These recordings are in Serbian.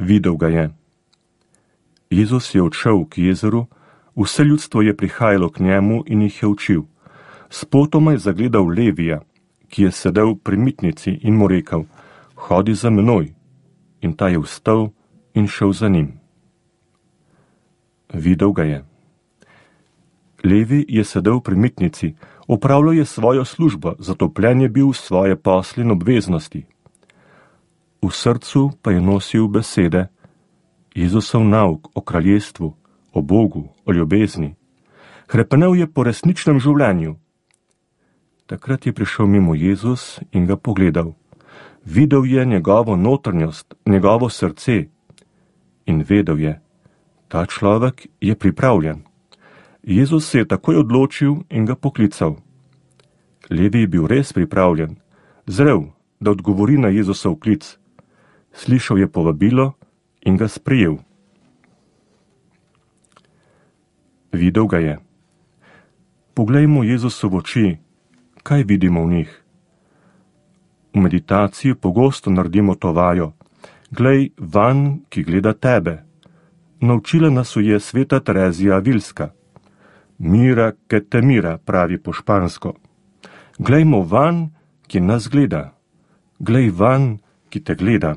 Videl ga je. Jezus je odšel k jezeru, vse ljudstvo je prihajalo k njemu in jih je učil. Spotoma je zagledal Levija, ki je sedel pri mitnici in mu rekel: Hodi za menoj. In ta je vstal in šel za njim. Videl ga je. Levi je sedel pri mitnici, opravljal je svojo službo, zatopljen je bil v svoje posle in obveznosti. V srcu pa je nosil besede, Jezusov nauk o kraljestvu, o Bogu, o ljubezni. Hrepenel je po resničnem življenju. Takrat je prišel mimo Jezus in ga pogledal. Videl je njegovo notranjost, njegovo srce in vedel je, ta človek je pripravljen. Jezus se je takoj odločil in ga poklical. Levi je bil res pripravljen, zrel, da odgovori na Jezusov klic. Slišal je povabilo in ga sprejel. Videl ga je. Poglejmo Jezusu v oči, kaj vidimo v njih. V meditaciji pogosto naredimo to vajo. Glej van, ki gleda tebe. Naučila nas je sveta Terezija Avilska. Mira, ke te mira, pravi po špansko. Glejmo van, ki nas gleda. Glej van, ki te gleda.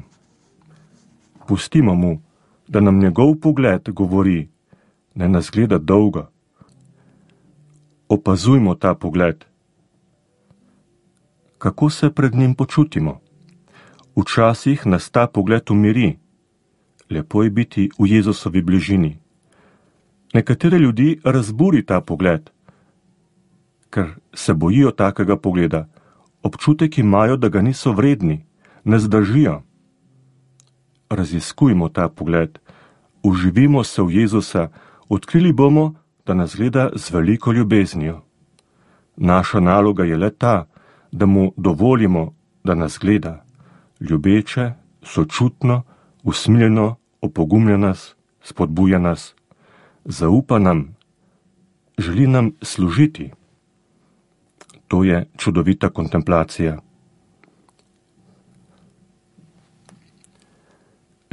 Pustimo mu, da nam njegov pogled govori, ne nas gleda dolgo. Opazujmo ta pogled. Kako se pred njim počutimo? Včasih nas ta pogled umiri. Lepo je biti v Jezusovi bližini. Nekatere ljudi razburi ta pogled, ker se bojijo takega pogleda. Občutek imajo, da ga niso vredni, ne zdržijo. Raziskujmo ta pogled, uživimo se v Jezusa, odkrili bomo, da nas gleda z veliko ljubeznijo. Naša naloga je le ta, da mu dovolimo, da nas gleda, ljubeče, sočutno, usmiljeno, opogumlja nas, spodbuja nas, zaupa nam, želi nam služiti. To je čudovita kontemplacija.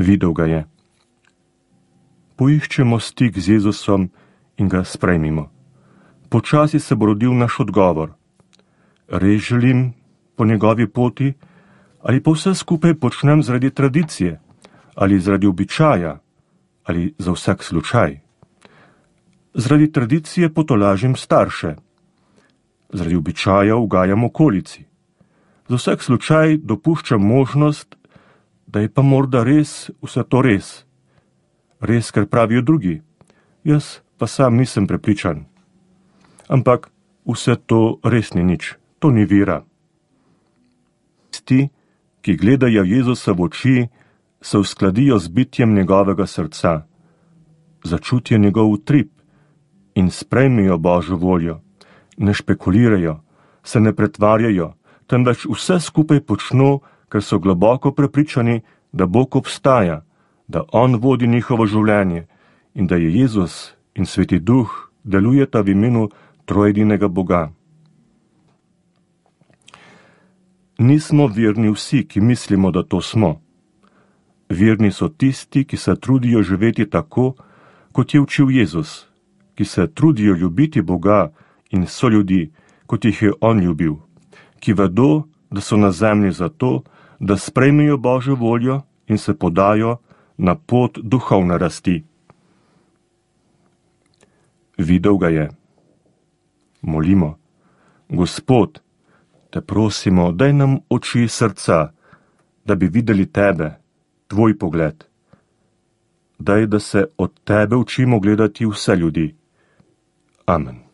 Videl ga je. Poiščemo stik z Jezusom in ga sprejmimo. Počasi se bo rodil naš odgovor. Res želim po njegovi poti, ali pa vse skupaj počnem zaradi tradicije, ali zaradi običaja, ali za vsak slučaj. Zaradi tradicije potolažim starše, zaradi običaja ugajam okolici. Za vsak slučaj dopuščam možnost, da je pa morda res vse to res. Res, ker pravijo drugi, jaz pa sam nisem prepričan. Ampak vse to res ni nič, to ni vera. Tisti, ki gledajo Jezusa v oči, se uskladijo z bitjem njegovega srca, začutijo njegov utrip in sprejmejo Božjo voljo, ne špekulirajo, se ne pretvarjajo, temveč vse skupaj počno, ker so globoko prepričani, da Bog obstaja, da On vodi njihovo življenje in da je Jezus in Sveti Duh delujeta v imenu trojedinega Boga. Nismo verni vsi, ki mislimo, da to smo. Verni so tisti, ki se trudijo živeti tako, kot je učil Jezus, ki se trudijo ljubiti Boga in soljudi, kot jih je On ljubil, ki vedo, da so na zemlji zato, da sprejmejo Božjo voljo in se podajo na pot duhovne rasti. Videl ga je. Molimo. Gospod, te prosimo, daj nam oči srca, da bi videli tebe, tvoj pogled. Daj, da se od tebe učimo gledati vse ljudi. Amen.